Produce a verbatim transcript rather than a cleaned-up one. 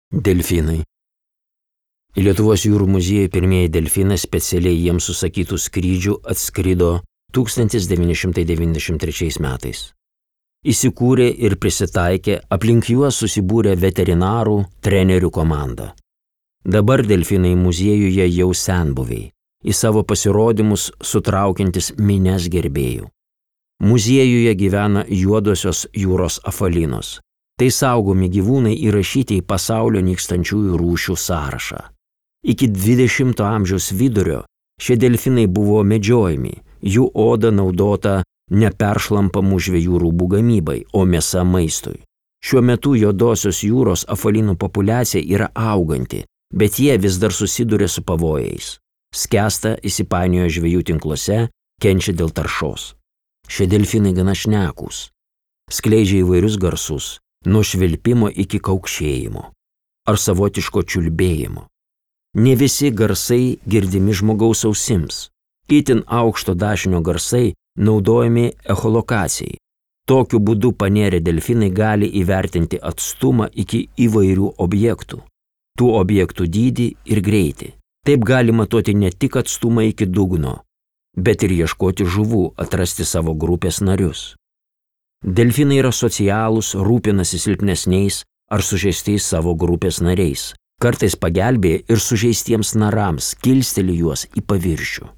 Delfinai. Į Lietuvos jūrų muziejų pirmieji delfinai specialiai jiems užsakytų skrydžių atskrido tūkstantis devyni šimtai devyniasdešimt trečiais metais. Įsikūrė ir prisitaikė, aplink juos susibūrė veterinarų, trenerių komanda. Dabar delfinai muziejuje jau senbuviai, į savo pasirodymus sutraukiantis minias gerbėjų. Muziejuje gyvena juodosios jūros afalinos. Tai saugomi gyvūnai įrašyti į pasaulio nykstančiųjų rūšių sąrašą. Iki dvidešimto amžiaus vidurio šie delfinai buvo medžiojami, jų oda naudota neperšlampamų žvejų rūbų gamybai, o mėsa maistui. Šiuo metu juodosios jūros afalinų populiacija yra auganti, bet jie vis dar susiduria su pavojais. Skęsta, įsipainioja žvejų tinkluose, kenčia dėl taršos. Šie delfinai gana šnekūs. Skleidžia įvairius garsus, nuo švilpimo iki kaukšėjimo ar savotiško čiulbėjimo. Ne visi garsai girdimi žmogaus ausims. Itin aukšto dažnio garsai naudojami echolokacijai. Tokiu būdu panėrę delfinai gali įvertinti atstumą iki įvairių objektų, tų objektų dydį ir greitį. Taip gali matuoti ne tik atstumą iki dugno, bet ir ieškoti žuvų, atrasti savo grupės narius. Delfinai yra socialūs, rūpinasi silpnesniais ar sužeistais savo grupės nariais. Kartais pagelbėja ir sužeistiems narams, kilsteli juos į paviršių.